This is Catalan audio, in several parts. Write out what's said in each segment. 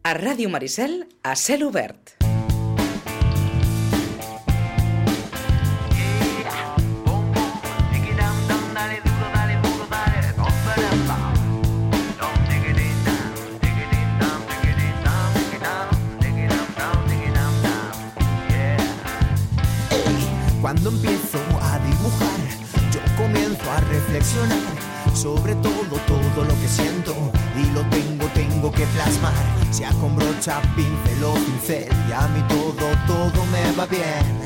A Ràdio Maricel, a cel obert. Cuando empiezo a dibujar, yo comienzo a reflexionar sobre todo lo que siento y lo tengo que plasmar, sea con brocha, pincel o pincel, y a mí todo me va bien.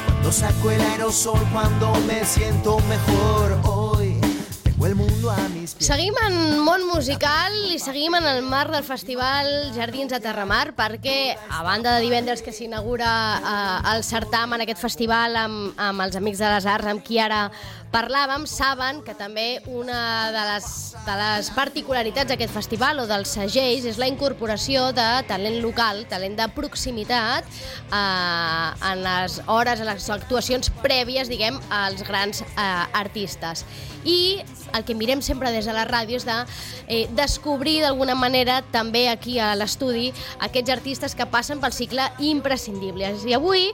Cuando saco el aerosol, cuando me siento mejor, hoy tengo el mundo a mis pies. Seguim en món musical i seguim en el marc del festival Jardins de Terramar, perquè a banda de divendres que s'inaugura el certamen, aquest festival amb els Amics de les Arts, amb qui ara parlàvem, saben que també una de les particularitats d'aquest festival o dels segells és la incorporació de talent local, talent de proximitat en les hores, en les actuacions prèvies, diguem, als grans artistes. I el que mirem sempre des de la ràdio és de descobrir d'alguna manera també aquí a l'estudi aquests artistes que passen pel cicle imprescindibles. I avui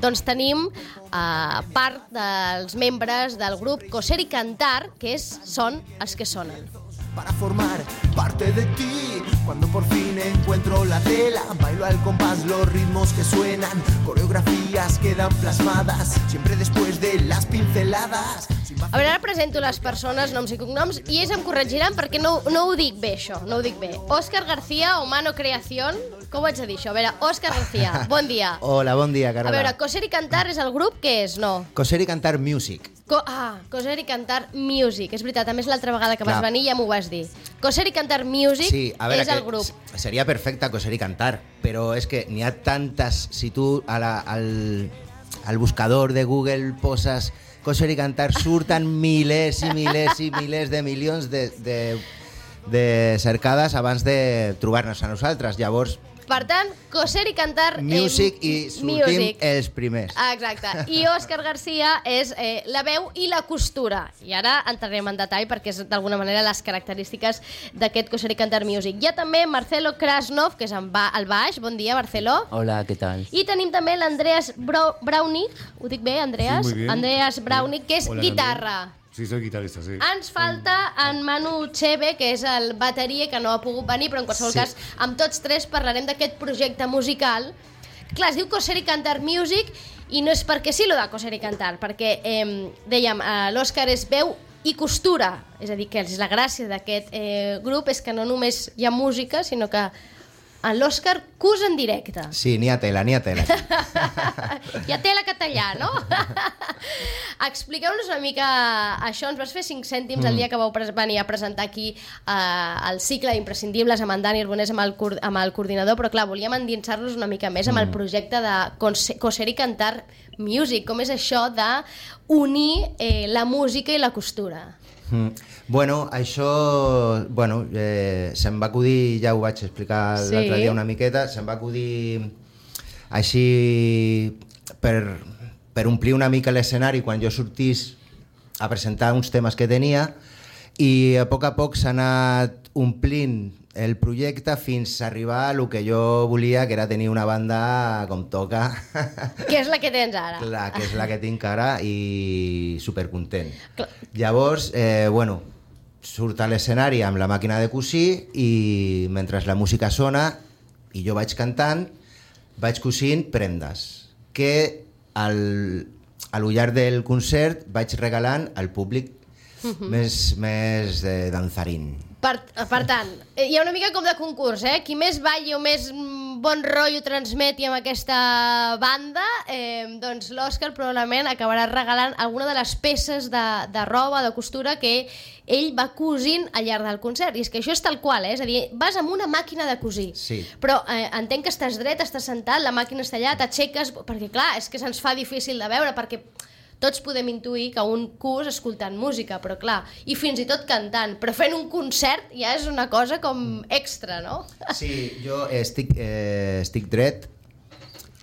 doncs tenim part dels membres del grup Coser y Cantar, que són els que sonen. Para formar parte de ti, cuando por fin encuentro la tela, bailo al compás los ritmos que suenan, coreografías quedan plasmadas, siempre después de las pinceladas. A veure, ara presento les persones, noms i cognoms, i ells em corregiran perquè no ho dic bé, això, no ho dic bé. Òscar García, Humano Creación, com ho haig de dir això? A veure, Òscar García, bon dia. Hola, bon dia, Carola. A veure, Coser y Cantar és el grup, què és, no? Coser y Cantar Music. Coser y Cantar Music, és veritat, a més l'altra vegada que vas venir ja m'ho vas dir. Coser y Cantar Music és el grup. Seria perfecte Coser y Cantar, però és que n'hi ha tantes, si tu al buscador de Google poses Coser y Cantar, surten milers i milers i milers de milions de cercades abans de trobar-nos a nosaltres. Llavors, per tant, Coser y Cantar Music i sortim els primers. Exacte. I Òscar García és la veu i la costura. I ara entrarem en detall perquè és d'alguna manera les característiques d'aquest Coser y Cantar Music. Hi ha també Marcelo Krasnov, que és al baix. Bon dia, Marcelo. Hola, ¿qué tal? I tenim també l'Andreas Braunig. Ho dic bé, Andreas? Sí, muy bien. Andreas Braunig, que és Hola, guitarra. Sí, soy guitarrista, sí. Ens falta en Manu Cheve, que és el bateria, que no ha pogut venir, però en qualsevol cas, amb tots tres parlarem d'aquest projecte musical. Clar, es diu Coser y Cantar Music, i no és perquè sí, lo de Coser y Cantar, perquè, dèiem, l'Òscar és veu i costura, és a dir, que la gràcia d'aquest grup és que no només hi ha música, sinó que l'Òscar cus en directe. Sí, n'hi ha tela, n'hi ha tela. Hi ha tela català, no? Expliqueu-nos una mica això. Ens vas fer 5 cèntims el dia que vau venir a presentar aquí el cicle d'imprescindibles amb en Dani Arbonès, amb el coordinador, però clar, volíem endinsar-nos una mica més amb el projecte de Coser y Cantar Music. Com és això d'unir la música i la costura? Bueno, això se'm va acudir, ja ho vaig explicar l'altre dia una miqueta, se'm va acudir així per omplir una mica l'escenari quan jo sortís a presentar uns temes que tenia, i a poc s'ha anat omplint el projecte fins a arribar a el que jo volia, que era tenir una banda com toca. Que és la que tens ara. Clar, que és la que tinc ara, i supercontent. Clar. Llavors, surt a l'escenari amb la màquina de cosir, i mentre la música sona i jo vaig cantant, vaig cosint prendes que a lo llarg del concert vaig regalant al públic més danzarín. Per tant, hi ha una mica com de concurs, qui més balli o més bon rotllo transmeti amb aquesta banda, doncs l'Òscar probablement acabarà regalant alguna de les peces de roba, de costura que ell va cosint al llarg del concert. I és que això és tal qual, és a dir, vas amb una màquina de cosir, sí. Però entenc que estàs dret, estàs sentat, la màquina està allà, t'aixeques, perquè clar, és que se'ns fa difícil de veure, perquè tots podem intuir que un cus escoltant música, però clar, i fins i tot cantant, però fent un concert ja és una cosa com extra, no? Sí, jo estic dret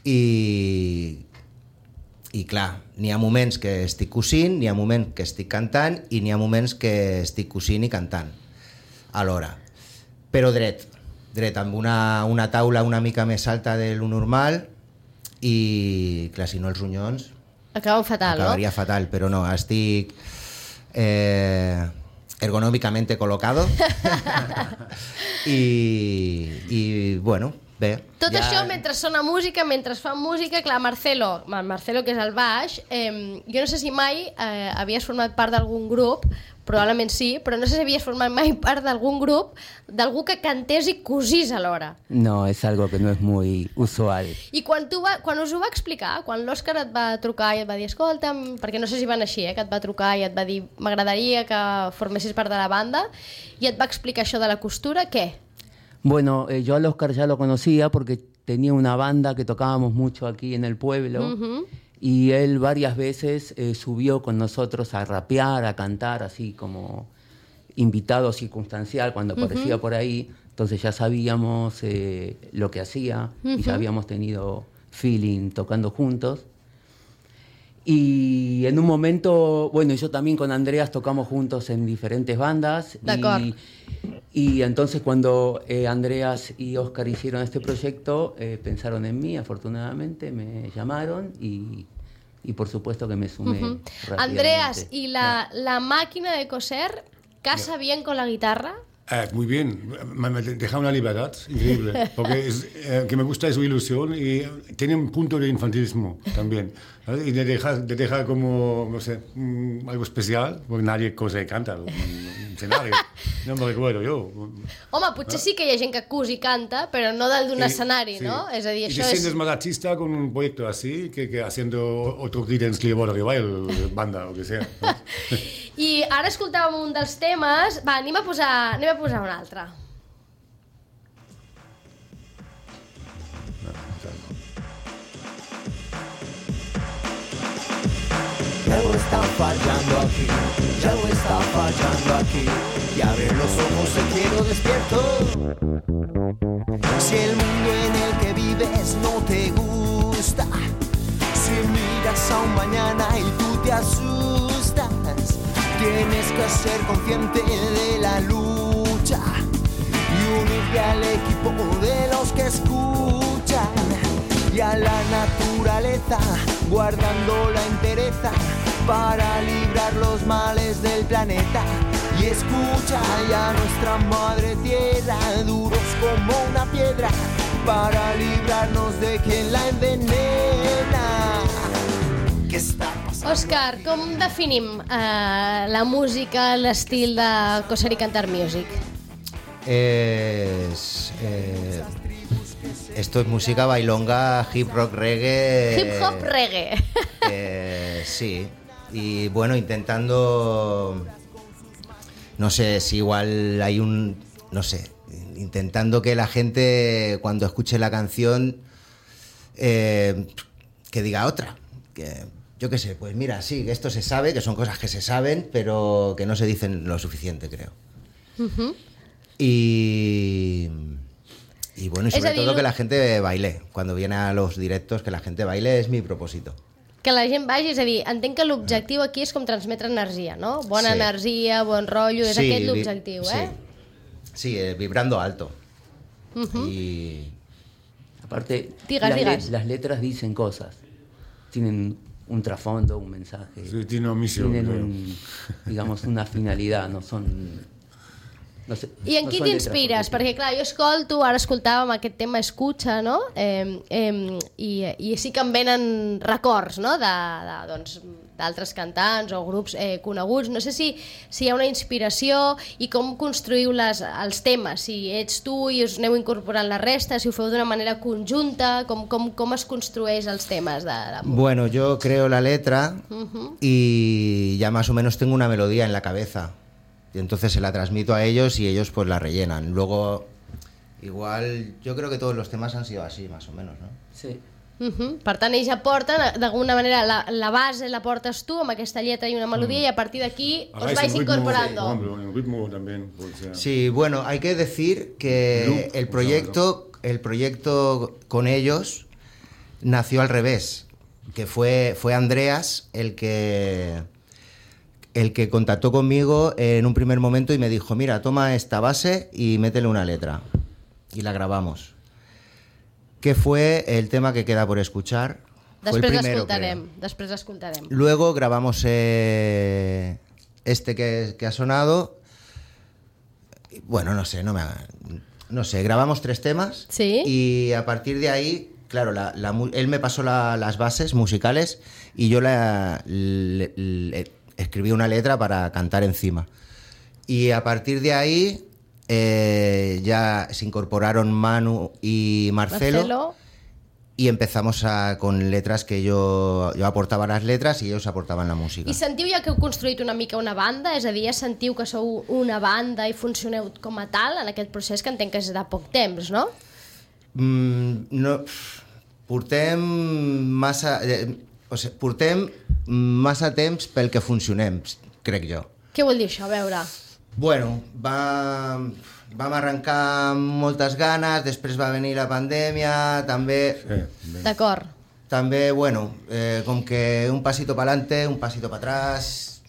i clar, n'hi ha moments que estic cosint, n'hi ha moments que estic cantant i n'hi ha moments que estic cosint i cantant alhora, però dret. dret, amb una taula una mica més alta de lo normal i, clar, si no els ronyons acaben fatal, acabaria fatal, però no, estic ergonòmicamente colocado i bueno, bé. Tot això mentre sona música, mentre fan música, clar, Marcelo, que és el baix, jo no sé si mai havies format part d'algun grup, probablement sí, però no sé si havies format mai part d'algun grup d'algú que cantés i cosís alhora. No, es algo que no es muy usual. I quan us ho va explicar, quan l'Òscar et va trucar i et va dir escolta'm, perquè no sé si van així, que et va trucar i et va dir m'agradaria que formessis part de la banda, i et va explicar això de la costura, què? Bueno, yo al Óscar ya lo conocía porque tenía una banda que tocábamos mucho aquí en el pueblo y él varias veces subió con nosotros a rapear, a cantar, así como invitado circunstancial cuando aparecía por ahí. Entonces ya sabíamos lo que hacía y ya habíamos tenido feeling tocando juntos. Y en un momento, bueno, yo también con Andreas tocamos juntos en diferentes bandas. Y entonces cuando Andreas y Óscar hicieron este proyecto, pensaron en mí, afortunadamente, me llamaron y por supuesto que me sumé rápidamente. Andreas, ¿y la máquina de coser casa bien con la guitarra? Muy bien, me deja una libertad increíble, porque que me gusta su ilusión y tiene un punto de infantilismo también, ¿sabes? Y te deja como, no sé, algo especial, porque nadie cosa y canta un escenario, no me recuerdo yo. Home, potser sí que hi ha gent que cus i canta, però no dalt d'un escenari, no? És a dir, y això te és... sientes más artista con un proyecto así que haciendo otro Creedence Clearwater Revival, banda o que sea, ¿no? I ara escoltàvem un dels temes. Va, anem a posar un altre. Ya algo está fallando aquí, ya algo está fallando aquí. Y abre los ojos, te quiero despierto. Si el mundo en el que vives no te gusta, si miras a un mañana y tú te asustas, tienes que ser consciente de la lucha y unirte al equipo de los que escuchan y a la naturaleza, guardando la entereza para librar los males del planeta. Y escucha ya a nuestra madre tierra, duros como una piedra, para librarnos de quien la envenena. ¿Qué está pasando? Òscar, com definim la música, l'estil de Coser i Cantar Music? Esto es música bailonga, hip rock, reggae. Hip hop reggae. Sí, y bueno, intentando, no sé si igual hay no sé, intentando que la gente cuando escuche la canción que diga otra, que yo qué sé, pues mira, sí, que esto se sabe, que son cosas que se saben, pero que no se dicen lo suficiente, creo. Y bueno, y sobre todo que la gente baile. Cuando viene a los directos, que la gente baile es mi propósito. Que la gent vagi, és a dir, entenc que l'objectiu aquí és com transmetre energia, no? Bona energia, bon rotllo, és aquest l'objectiu, eh? Sí, vibrando alto. Y... Aparte, Digas. las letras dicen cosas, tienen un trasfondo, un mensaje, Sí, tiene una misión, tienen digamos una finalidad, no son... No sé, I en qui t'inspires? Perquè, clar, jo escolto, ara escoltàvem aquest tema Escucha, no? I sí que em venen records, no?, d'altres cantants o grups coneguts. No sé si hi ha una inspiració i com construïu els temes, si ets tu i us aneu incorporant la resta, si ho feu d'una manera conjunta, com es construeix els temes de música. Bueno, yo creo la letra y ya más o menos tengo una melodía en la cabeza. Y entonces se la transmito a ellos y ellos pues la rellenan. Luego, igual, yo creo que todos los temas han sido así, más o menos, ¿no? Sí. Per tant, ells aporten, d'alguna manera, la base la portes tu amb aquesta lletra i una melodia i a partir d'aquí os vais incorporando. El ritmo también. Sí, bueno, hay que decir que el proyecto con ellos nació al revés, que fue Andreas el que contactó conmigo en un primer momento y me dijo, mira, toma esta base y métele una letra. y la grabamos. Que fue el tema que queda por escuchar. Després fue l'escoltarem. Luego grabamos este que ha sonado. Bueno, no sé, grabamos 3 temas. ¿Sí? Y a partir de ahí, claro, él me pasó las bases musicales y yo le escribí una letra para cantar encima. Y a partir de ahí ya se incorporaron Manu y Marcelo. Y empezamos con letras que yo aportava les letras i ells aportaven la música. I sentiu ja que heu construït una mica una banda? És a dir, ja sentiu que sou una banda i funcioneu com a tal en aquest procés, que entenc que és de poc temps, no? No, portem massa temps pel que funcionem, crec jo. Què vol dir això? A veure... Bueno, vam arrencar amb moltes ganes, després va venir la pandèmia, també... Sí, d'acord. També, bueno, com que un pasito para adelante, un pasito para atrás...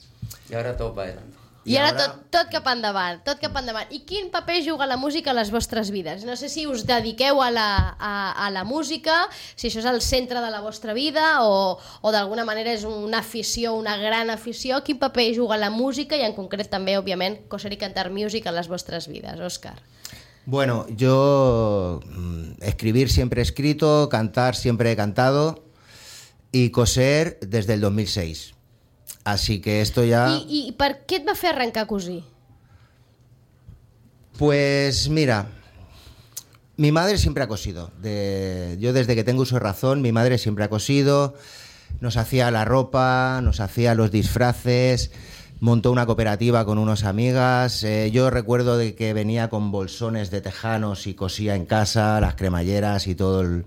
I ara tot va adelante. I ara tot cap endavant, tot cap endavant. I quin paper juga la música a les vostres vides? No sé si us dediqueu a la música, si això és el centre de la vostra vida o d'alguna manera és una afició, una gran afició. Quin paper juga la música i en concret també, òbviament, coser i cantar music a les vostres vides, Òscar? Bueno, yo escribir siempre he escrito, cantar siempre he cantado y coser desde el 2006. Así que esto ya... ¿Y per qué te va a hacer arrancar a cosir? Pues mira, mi madre siempre ha cosido. Yo desde que tengo uso de razón, mi madre siempre ha cosido. Nos hacía la ropa, nos hacía los disfraces, montó una cooperativa con unas amigas. Yo recuerdo de que venía con bolsones de tejanos y cosía en casa, las cremalleras y todo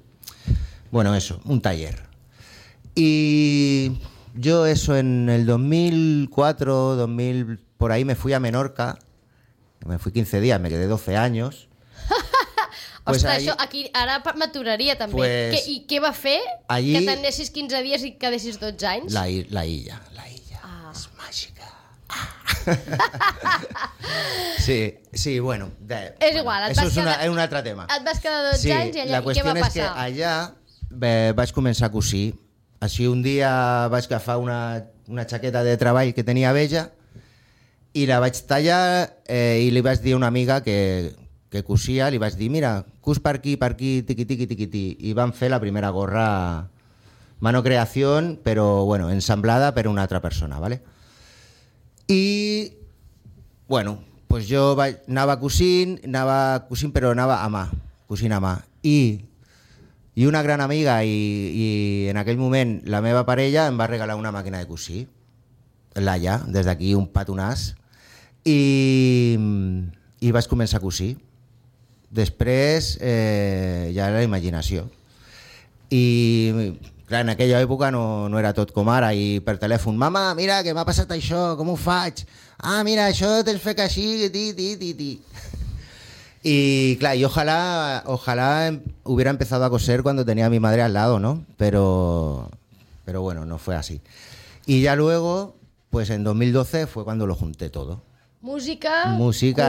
Bueno, eso, un taller. Y... yo eso en el 2004, 2000, por ahí me fui a Menorca, me fui 15 días, me quedé 12 años. Pues ostres, allí, això aquí ara m'aturaria també. Pues, I què va fer allí, que t'anessis 15 dies i quedessis 12 anys? La illa. És màgica. Sí, bueno. És igual, eso és un altre tema. Et vas quedar 12 anys i allà, la qüestió què va passar? És que allà vaig començar a cosir. Així un dia vaig agafar una xaqueta de treball que tenia vella i la vaig tallar i li vaig dir a una amiga que cosia, li vaig dir, mira, cus per aquí, tiqui, i van fer la primera gorra, mano creación, però bueno, ensamblada per una altra persona, ¿vale? I bueno, pues jo anava cosint, però anava a mà, cosint a mà. I una gran amiga i en aquell moment la meva parella em va regalar una màquina de cosir, Laia, des d'aquí un petonàs, i vaig començar a cosir. Després ja la imaginació. I clar, en aquella època no era tot com ara, i per telèfon, mama, mira, que m'ha passat això, com ho faig? Ah, mira, això tens fet així, ti. Y claro, y ojalá hubiera empezado a coser cuando tenía a mi madre al lado, ¿no? Pero bueno, no fue así. Y ya luego, pues en 2012 fue cuando lo junté todo. Música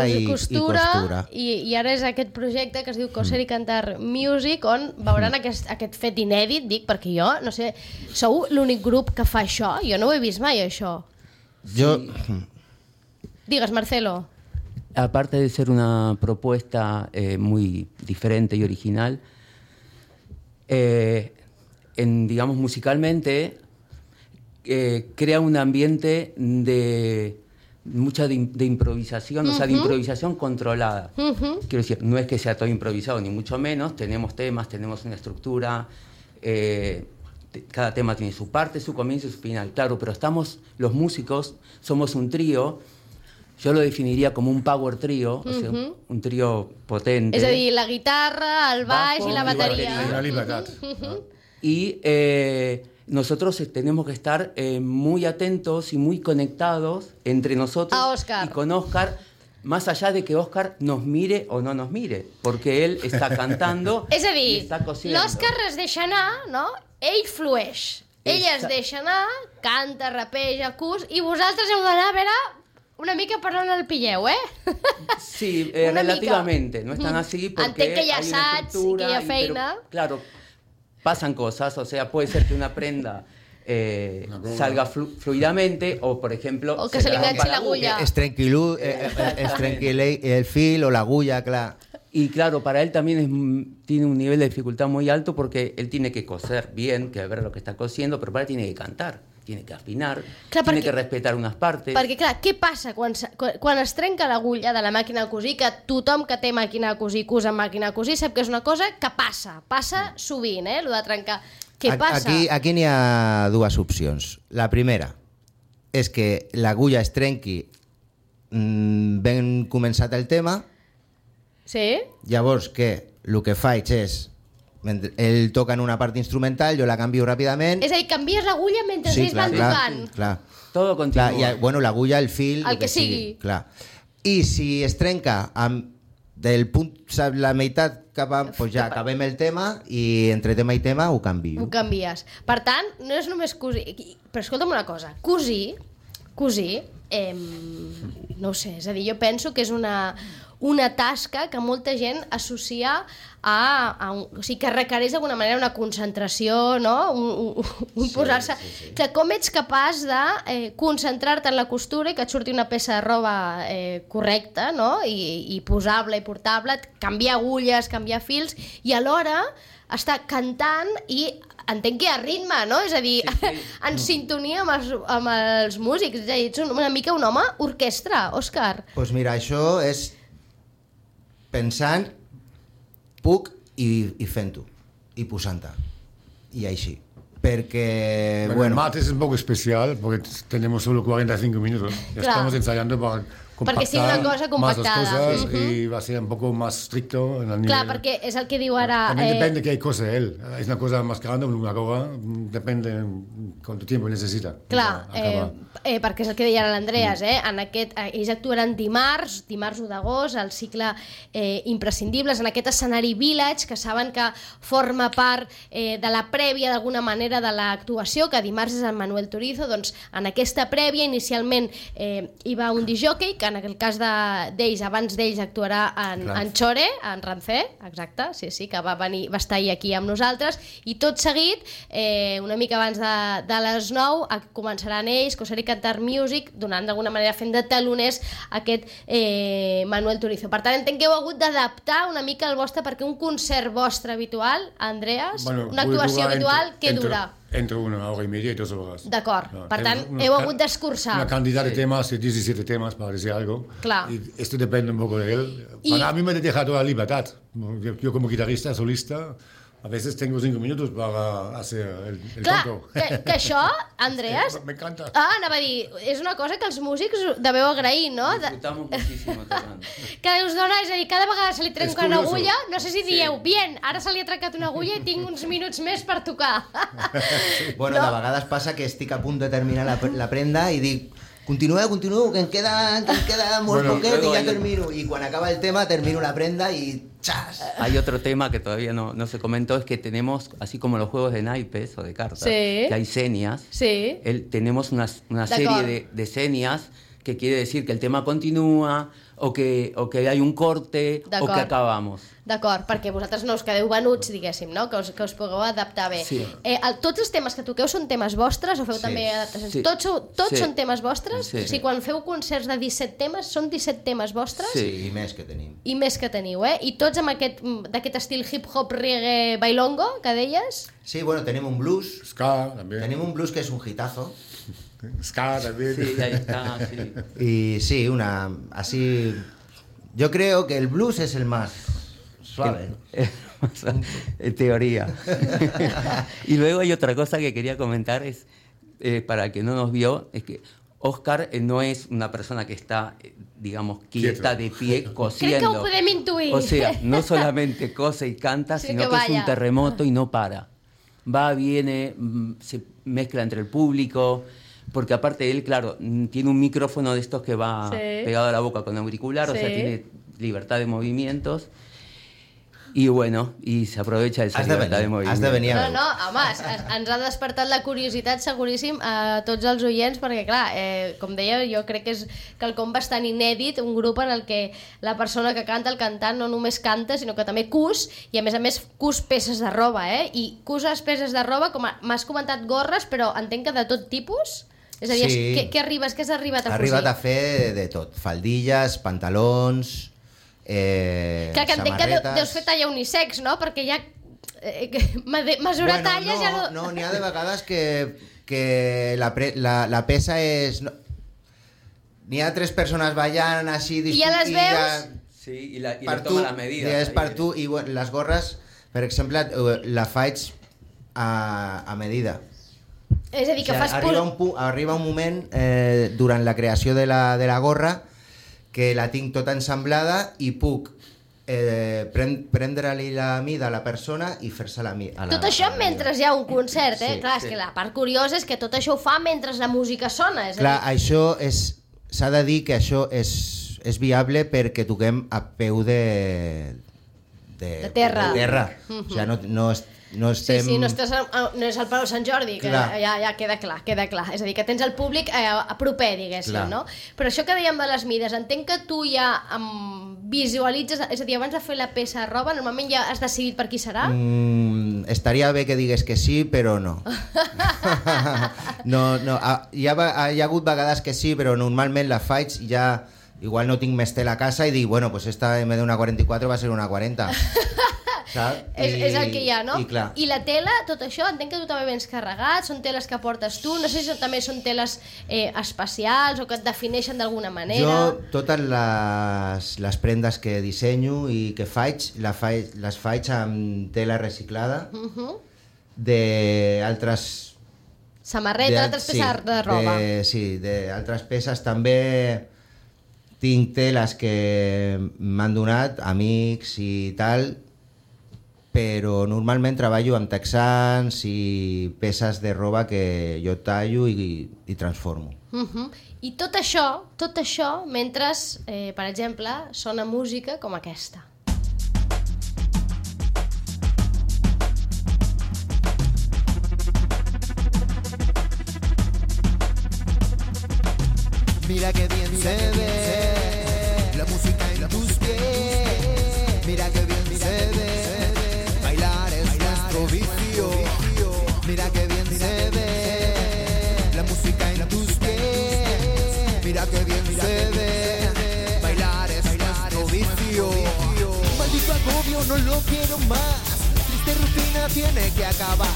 i costura. I ara és aquest projecte que es diu Coser i Cantar Music, on veuran aquest fet inèdit, dic, perquè jo, no sé, sou l'únic grup que fa això? Jo no ho he vist mai, això. Digues, Marcelo. Aparte de ser una propuesta muy diferente y original, digamos musicalmente crea un ambiente de mucha de improvisación, o sea, de improvisación controlada. Quiero decir, no es que sea todo improvisado, ni mucho menos. Tenemos temas, tenemos una estructura, cada tema tiene su parte, su comienzo y su final. Claro, pero los músicos, somos un trío. Yo lo definiría como un power trío, o sea, un trío potente. És a dir, la guitarra, el baix i la bateria. La libertad. Y nosotros tenemos que estar muy atentos y muy conectados entre nosotros y con Óscar, más allá de que Óscar nos mire o no nos mire, porque él está cantando és a dir, y está cosiendo. L'Òscar es deixa anar, no? Ell flueix. Ell es deixa anar, canta, rapeja, cus, i vosaltres heu d'anar a veure una mica parlant al pilleu, Sí, Una relativamente, mica. no es tan así porque Entenc que hi ha hay una assaigs i que hi ha estructura feina. pero, claro, pasan cosas, o sea, puede ser que una prenda salga fluidamente o, por ejemplo... O que se li rompa enganchi l'agulla. Es tranquilo, el fil o la agulla, claro. Y claro, para él también tiene un nivel de dificultad muy alto porque él tiene que coser bien, que ver lo que está cosiendo, pero para él tiene que cantar, tiene que afinar, Clar, tiene perquè- que respetar unas partes. Perquè, clar, què passa quan es trenca l'agulla de la màquina de cosir, que tothom que té màquina de cosir, cus amb màquina de cosir, sap que és una cosa que passa sovint, lo de trencar. Què passa? Aquí n'hi ha dues opcions. La primera és que l'agulla es trenqui ben començat el tema, Sí? llavors que el que faig és, mentre ell toca en una part instrumental, jo la canvio ràpidament. És a dir, canvies l'agulla mentre ells van tocant. clar. Todo continúa. Clar, bueno, l'agulla, el fil, El que sigui. Clar. I si es trenca del punt, saps, la meitat cap a... Pues ja acabem el tema i entre tema i tema ho canvio. Ho canvies. Per tant, no és només cosir... Però escolta'm una cosa, cosir, no ho sé, és a dir, jo penso que és una tasca que molta gent associa o sigui, que requereix d'alguna manera una concentració, no? Un posar-se... Que com ets capaç de concentrar-te en la costura i que et surti una peça de roba correcta, no? I posable i portable, canviar agulles, canviar fils, i alhora estar cantant i entenc que hi ha ritme, no? És a dir, en sintonia amb els músics. És a dir, ets una mica un home orquestra, Òscar. Pues mira, això és pensant, puc i fent-ho, i posant-te, i així. Porque, bueno, el martes es un poco especial porque tenemos solo 45 minutos. Ya Claro. estamos ensayando para Perquè sigui una cosa compactar más las compactada. cosas y va a ser un poco más estricto en el nivel. Clar, perquè és el que diu ara... También depende qué cosa él. Es una cosa más grande, una cosa, depende cuánto tiempo necesita. Clar, para acabar. perquè és el que deia ara l'Andreas, en aquest, ells actuaran dimarts 1 d'agost, al cicle Imprescindibles, en aquest escenari Village, que saben que forma part de la prèvia d'alguna manera de l'actuació, que dimarts és el Manuel Turizo. Doncs en aquesta prèvia inicialment hi va un disjockey, que en el cas d'ells, abans d'ells actuarà en Chore, en Rancé, exacte, sí, que va estar ahir aquí amb nosaltres, i tot seguit, una mica abans de les 9, començaran ells, Coser i Cantar Music, donant d'alguna manera, fent de taloners aquest Manuel Turizo. Per tant, entenc que heu hagut d'adaptar una mica el vostre, perquè un concert vostre habitual, Andreas, una actuació habitual, què dura? Entre 1 hora y media y 2 horas. D'acord, per tant, heu hagut d'escurçar. Una cantidad de temas, 17 temas, para decir algo. Claro. Y esto depende un poco de él. A mí me deja toda la libertad. Yo como guitarrista, solista, a veces tengo 5 minutos para hacer el Clar, tonto. que això, Andreas... Me encanta. Anava a dir, és una cosa que els músics deveu agrair, no? Disfrutamos muchísimo tocando. Que us dona, és a dir, cada vegada se li trenca una curioso. agulla, no sé si dieu, bien, ara se li ha trencat una agulla i tinc uns minuts més per tocar. Bueno, de vegades passa que estic a punt de terminar la prenda i dic, continueu, que em queda molt poquet i ja termino. I quan acaba el tema termino la prenda i ¡chas! Hay otro tema que todavía no se comentó, es que tenemos, así como los juegos de naipes o de cartas, Sí. que hay señas, Sí. tenemos una serie de señas que quiere decir que el tema continúa, o que hay un corte, o que acabamos. D'acord, perquè vosaltres no us quedeu venuts, diguéssim, no? Que us pugueu adaptar bé. Sí. Tots els temes que toqueu són temes vostres o feu també adaptacions? Sí. Tots Sí. són temes vostres? Sí. O sigui, quan feu concerts de 17 temes, són 17 temes vostres? Sí. I més que tenim. I més que teniu, I tots amb d'aquest estil hip-hop, reggae, bailongo, que deies? Sí, bueno, tenim un blues. Ska también. Tenim un blues que es un hitazo. Ska también. Sí, ahí está, sí. Y sí, así... Yo creo que el blues es el más suave. En teoría. Y luego hay otra cosa que quería comentar, es para el que no nos vio, es que Òscar no es una persona que está, digamos, quieta de pie cosiendo. Crec que ho podem intuir. O sea, no solamente cose y canta, Sí, sino que que es vaya. un terremoto y no para. Va, viene, se mezcla entre el público, porque aparte él, claro, tiene un micrófono de estos que va Sí. pegado a la boca con auricular, o sea, Sí. tiene libertad de movimientos. Y bueno, y se aprovecha esa libertad de movimiento. Has de venir a No, home, ens ha despertat la curiositat seguríssim a tots els oients, perquè clar, com deia, jo crec que és quelcom bastant inèdit, un grup en el que la persona que canta, el cantant, no només canta, sinó que també cus, i a més cus peces de roba, i cuses peces de roba, com m'has comentat gorres, però entenc que de tot tipus? És a dir, Sí. què has arribat a Ha cosir? arribat a fer de tot, faldilles, pantalons, Clar, que entenc que samarretes... deus fer talla unisex, no? Perquè ja mesurar talles ja no... No, n'hi ha de vegades que la pesa és... No, n'hi ha 3 persones ballant així... I ja les veus? Sí, y le Per toma tu, las medidas. és per tu, i bueno, les gorres, per exemple, la faig a medida. És a dir, que O fas... sigui, arriba un moment durant la creació de la gorra que la tinc tota ensamblada i puc prendre-li la mida a la persona i fer-se la mida. Tot això mentre hi ha un concert, eh? Sí, Clar, és que la part curiosa és que tot això ho fa mentre la música sona. És Clar, a dir, això s'ha de dir que això és viable perquè toquem a peu de terra. O sigui, no estem... Sí, no és el Palau Sant Jordi, que Clar. ja queda clar. És a dir, que tens el públic a proper, diguéssim, Clar. no? Però això que dèiem de les mides, entenc que tu ja visualitzes, és a dir, abans de fer la peça de roba, normalment ja has decidit per qui serà? Estaria bé que digués que sí, però no. No, hi ha hagut vegades que sí, però normalment la faig ja... Igual no tinc més tela a casa i dic, bueno, pues esta en vez de una 44 va a ser una 40. Saps? És el que hi ha, no? I clar. I la tela, tot això, entenc que tu també vens carregat, són teles que portes tu, no sé si també són teles especials o que et defineixen d'alguna manera. Jo totes les prendes que dissenyo i que faig, les faig amb tela reciclada d'altres... Samarreta, altres peces de roba. Sí, d'altres peces també. Tinc teles que m'han donat amics i tal, però normalment treballo amb texans i peces de roba que jo tallo i transformo. I tot això mentre, per exemple, sona música com aquesta. Mira que bien se ve la música en tus pies. Mira que bien se ve, bailar es nuestro vicio. Mira que bien se ve la música en tus pies. Mira que bien se ve, bailar es nuestro vicio. Maldito agobio, no lo quiero más. Triste rutina tiene que acabar.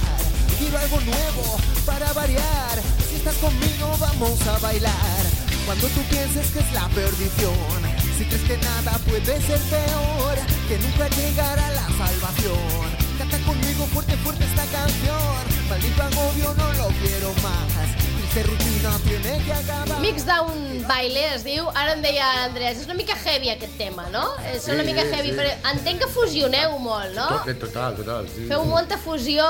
Quiero algo nuevo para variar. Si estás conmigo vamos a bailar. Cuando tú pienses que es la perdición, si crees que nada puede ser peor, que nunca llegará la salvación. Canta conmigo fuerte, fuerte esta canción. Maldito agobio, no lo quiero más. Triste rutina tiene que acabar. Mix Down Baile es diu, ara em deia Andrés, és una mica heavy aquest tema, no? És una mica heavy, però entenc que fusioneu molt, no? Total, sí. Feu molta fusió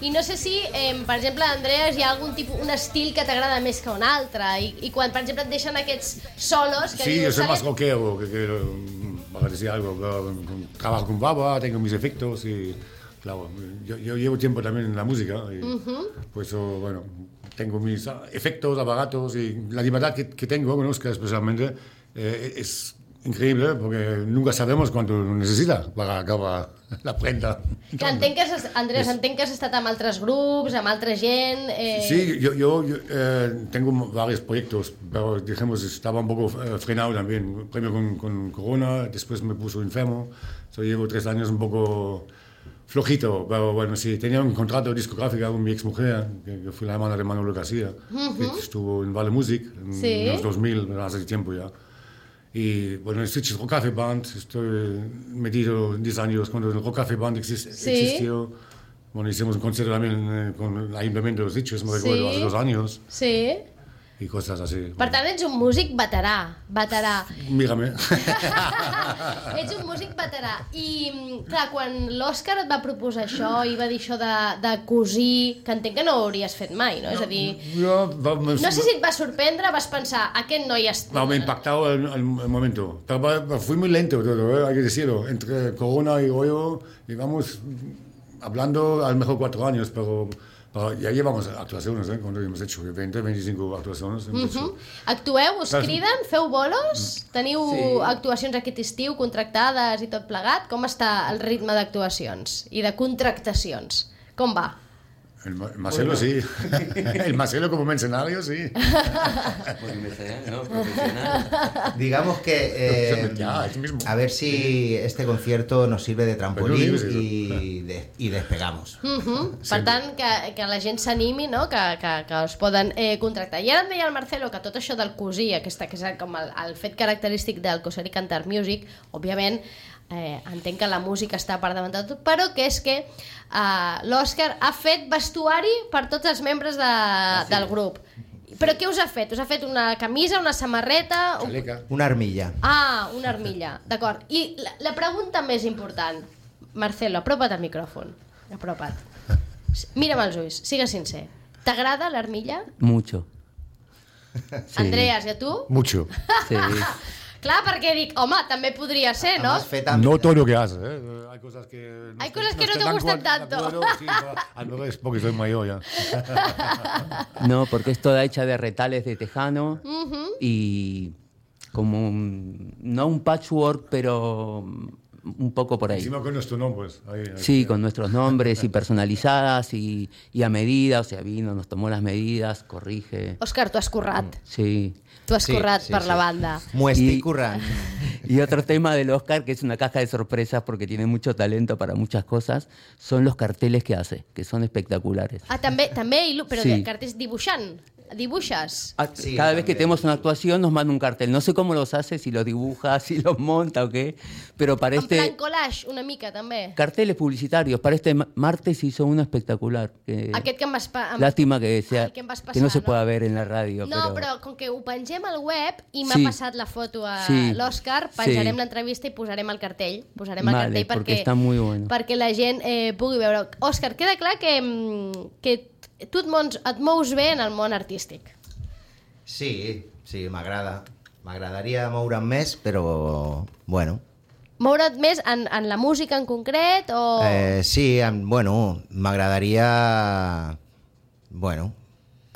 i no sé si, per exemple, Andrés, hi ha algun tipus, un estil que t'agrada més que un altre i quan, per exemple, et deixen aquests solos... Que Sí, dius, yo soy ¿sale? más rockero, que para decir algo, trabajo con baba, tengo mis efectos y claro, yo llevo tiempo también en la música y por eso, bueno, tengo mis efectos, aparatos y la libertad que tengo con Óscar especialmente es increíble porque nunca sabemos cuánto necesita para acabar la prenda. Entenc que Andrés, entenc que has estat amb altres grups, amb altra gent... Sí, yo tengo varios proyectos, pero dijimos, estaba un poco frenado también. Primero con Corona, después me puso enfermo. Llevo 3 años un poco flojito, pero bueno, sí, tenía un contrato discográfico con mi exmujer, que fue la hermana de Manolo García, que estuvo en Vale Music en los 2000, hace tiempo ya. Y bueno, en Sitges Rock Café Band, estoy metido 10 años cuando el Rock Café Band existió. Bueno, hicimos un concierto también con el Ayuntamiento de Sitges, me recuerdo, hace 2 años. Sí. y cosas así. Per tant, ets un músic veterà. Mírame. Ets un músic veterà. I, clar, quan l'Òscar et va proposar això i va dir això de cosir, que entenc que no ho hauries fet mai, no? És a dir, no sé si et va sorprendre, vas pensar, aquest noi No, me ha impactado el momento. Pero fui muy lento todo, hay que decirlo. Entre Corona y Goyo, digamos, hablando a lo mejor 4 años, pero ya llevamos actuaciones, cuando hemos hecho 20, 25 actuaciones. Actueu, us criden, feu bolos? Teniu actuacions aquest estiu contractades i tot plegat? Com està el ritme d'actuacions i de contractacions? Com va? El Marcelo sí. El Marcelo como mercenario sí. ¿no? Profesional. Digamos que a ver si este concierto nos sirve de trampolín y despegamos. Per tant, que la gent s'animi, no? que us poden contractar. I ara em deia el Marcelo que tot això del cosir, que és com el fet característic del Coser i Cantar Music, òbviament, entenc que la música està per davant de tot, però que és que l'Òscar ha fet vestuari per tots els membres del grup. Però què us ha fet? Us ha fet una camisa, una samarreta? Una armilla. Ah, una armilla, d'acord. I la pregunta més important, Marcelo, apropa't al micròfon. Apropa't. Mira'm als ulls, sigues sincer. T'agrada l'armilla? Mucho. Sí. Andreas, i a tu? Mucho. Sí. Clar, perquè dic, home, també podria ser, ¿no? No todo lo que haces, ¿eh? Hay cosas que no te gustan tanto. Sí, al revés, porque soy mayor ya. No, porque es toda hecha de retales de tejano y como no un patchwork, pero un poco por ahí. Encima con nuestros nombres. Ahí, sí, con nuestros nombres y personalizadas y a medida, o sea, vino, nos tomó las medidas, corrige. Òscar, tu has currat. Sí. Tu has currat per la banda. M'ho estic currant. Y otro tema del Òscar, que es una caja de sorpresas porque tiene mucho talento para muchas cosas, son los carteles que hace, que son espectaculares. Ah, també, però sí. cartells dibuixant. ¿Dibujas? Sí, cada vez que tenemos una actuación nos manda un cartel. No sé cómo los hace, si los dibuja, si los monta o qué, pero para en plan collage, una mica, també. Carteles publicitarios. Para este martes hizo uno espectacular. Aquest que em vas lástima que passar, que no se pueda ver en la radio. No, però com que ho pengem al web i m'ha passat la foto a l'Òscar, penjarem l'entrevista i posarem el cartell. Posarem el cartell perquè la gent pugui veure. Òscar, queda clar que tu et mous bé en el món artístic. Sí, m'agrada. M'agradaria moure'm més, però bueno. Moure't més en la música en concret o...? Sí, m'agradaria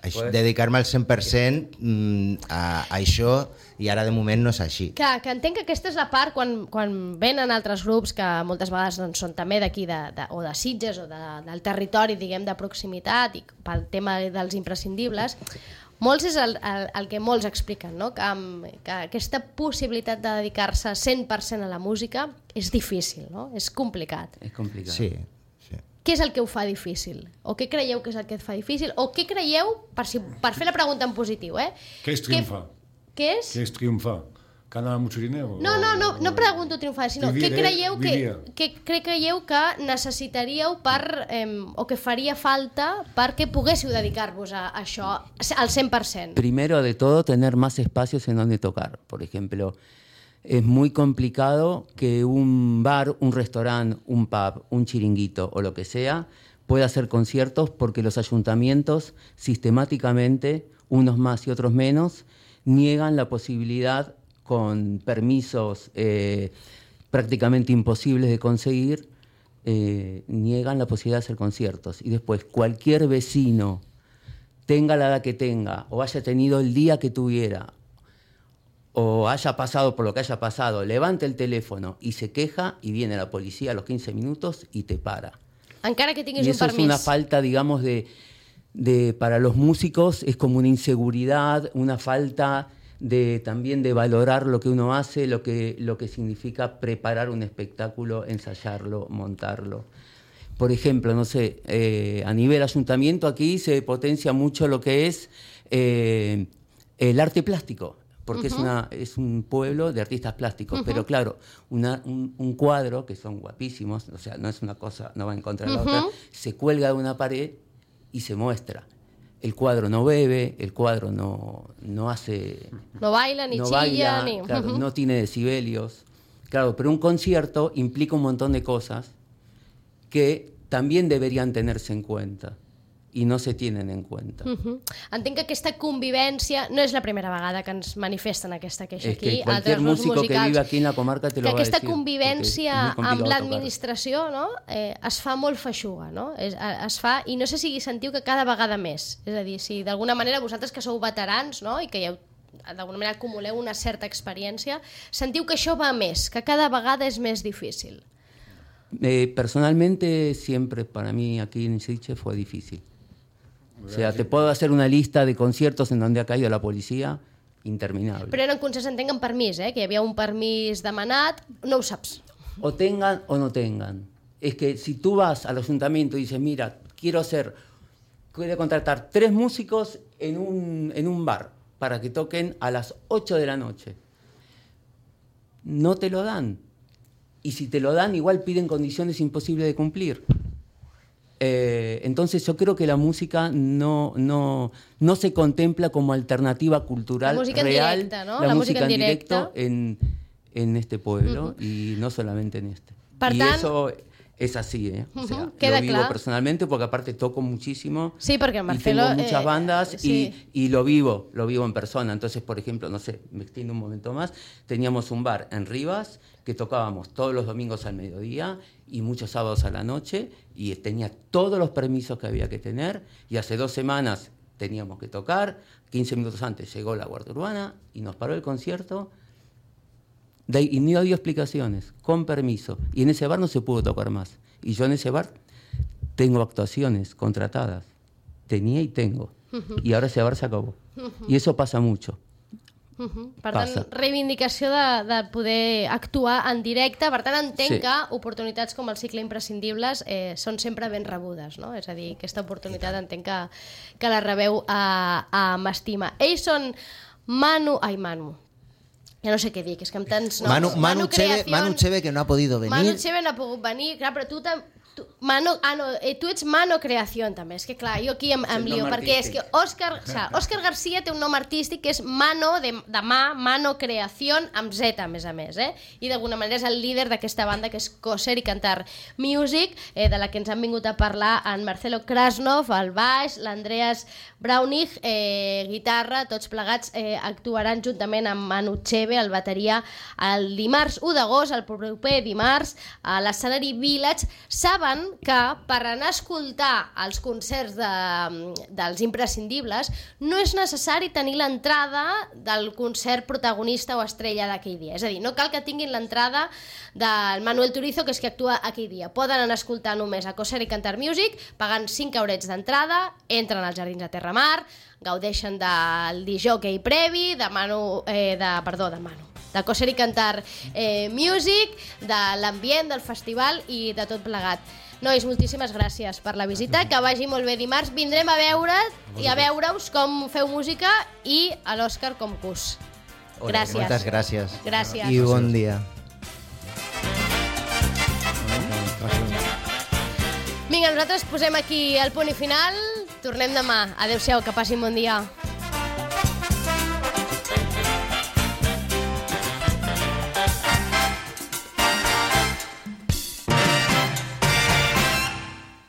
dedicar-me al 100% a això i ara de moment no és així. Que entenc que aquesta és la part quan venen altres grups que moltes vegades són també d'aquí o de Sitges o del territori, diguem, de proximitat i pel tema dels imprescindibles, molts és el que molts expliquen, no? Que aquesta possibilitat de dedicar-se 100% a la música és difícil, no? És complicat. És complicat. Sí. Què és el que ho fa difícil? O què creieu que és el que et fa difícil? O què creieu, per fer la pregunta en positiu, ¿Qué es triunfar? ¿Qué es? ¿Qué es triunfar? ¿Ganar mucho dinero? No pregunto triunfar, sinó què creieu que necessitaríeu o que faria falta perquè poguéssiu dedicar-vos a això al 100%? Primero de todo, tener más espacios en donde tocar. Por ejemplo, es muy complicado que un bar, un restaurante, un pub, un chiringuito o lo que sea pueda hacer conciertos porque los ayuntamientos sistemáticamente, unos más y otros menos, niegan la posibilidad con permisos prácticamente imposibles de conseguir, niegan la posibilidad de hacer conciertos. Y después cualquier vecino, tenga la edad que tenga o haya tenido el día que tuviera o haya pasado por lo que haya pasado, levante el teléfono y se queja y viene la policía a los 15 minutos y te para. Encara que tinguis y un permís. Eso es una falta, digamos, para los músicos, es como una inseguridad, una falta también de valorar lo que uno hace, lo que significa preparar un espectáculo, ensayarlo, montarlo. Por ejemplo, no sé, a nivel ayuntamiento aquí se potencia mucho lo que es el arte plástico, porque es un pueblo de artistas plásticos, pero claro, un cuadro, que son guapísimos, o sea, no es una cosa, no va en contra de la otra, se cuelga de una pared y se muestra. el cuadro no bebe, el cuadro no hace... No baila, ni chilla, ni... Claro, no tiene decibelios. Claro, pero un concierto implica un montón de cosas que también deberían tenerse en cuenta i no se tienen en cuenta. Entenc que aquesta convivència no és la primera vegada que ens manifesten aquesta queixa es aquí. que cualquier músico que vive aquí en la comarca te lo va a decir. Que aquesta convivència amb l'administració, no? Es fa molt feixuga, no? Es fa, i no sé si sentiu que cada vegada més. És a dir, si d'alguna manera vosaltres que sou veterans, no? I que ja d'alguna manera acumuleu una certa experiència, sentiu que això va més, que cada vegada és més difícil. Personalmente siempre para mí aquí en Sitges fue difícil. O sea, te puedo hacer una lista de conciertos en donde ha caído la policía interminable. Però eren concerts, entenc, amb permís, que hi havia un permís demanat, no ho saps. O tengan o no tengan. Es que si tú vas al ayuntamiento y dices, mira, quiero contratar 3 músicos en un bar para que toquen a las 8 de la noche, no te lo dan. Y si te lo dan, igual piden condiciones imposibles de cumplir. Entonces yo creo que la música no se contempla como alternativa cultural real, directa, ¿no? la música en directo en este pueblo y no solamente en este. Per y tant, eso es así, o sea, queda lo vivo clar. Personalmente porque aparte toco muchísimo. Sí, porque en y Marcelo tengo muchas bandas sí. y lo vivo en persona. Entonces, por ejemplo, no sé, me extiendo un momento más, teníamos un bar en Rivas que tocábamos todos los domingos al mediodía y muchos sábados a la noche y tenía todos los permisos que había que tener y hace 2 semanas teníamos que tocar, 15 minutos antes llegó la Guardia Urbana y nos paró el concierto y no dio explicaciones, con permiso, y en ese bar no se pudo tocar más y yo en ese bar tengo actuaciones contratadas, tenía y tengo y ahora ese bar se acabó y eso pasa mucho. Per tant, reivindicació de poder actuar en directe. Per tant, entenc que oportunitats com el cicle Imprescindibles són sempre ben rebudes, no? És a dir, aquesta oportunitat entenc que la rebeu amb estima. Ells són Manu... Ja no sé què dir, que és que amb tants noms... Manu Cheve, que no ha podido venir. Manu Cheve no ha pogut venir, clar, però tu tu ets Mano Creación també, és que clar, jo aquí em lio, perquè és que Òscar García té un nom artístic que és Mano, de mà, Mano Creación, amb Z a més, i d'alguna manera és el líder d'aquesta banda que és Coser i Cantar Music, de la que ens han vingut a parlar en Marcelo Krasnov, al baix, l'Andreas Braunig, guitarra, tots plegats actuaran juntament amb Manu Cheve, el bateria, el dimarts 1 d'agost, el proper dimarts, a l'escenari Village. Saben que per anar a escoltar els concerts dels imprescindibles no és necessari tenir l'entrada del concert protagonista o estrella d'aquell dia. És a dir, no cal que tinguin l'entrada del Manuel Turizo, que és que actua aquell dia. Poden anar a escoltar només a Coser i Cantar Music, pagant 5 eurets d'entrada, entren als Jardins de Terramar, gaudeixen del disjockey previ, de Coser i Cantar Music, de l'ambient del festival i de tot plegat. Nois, moltíssimes gràcies per la visita, que vagi molt bé dimarts. Vindrem a veure-us com feu música i a l'Òscar com cus. Gràcies. Moltes gràcies. Gràcies. I bon dia. Vinga, nosaltres posem aquí el punt i final. Tornem demà. Adéu-siau, que passin bon dia.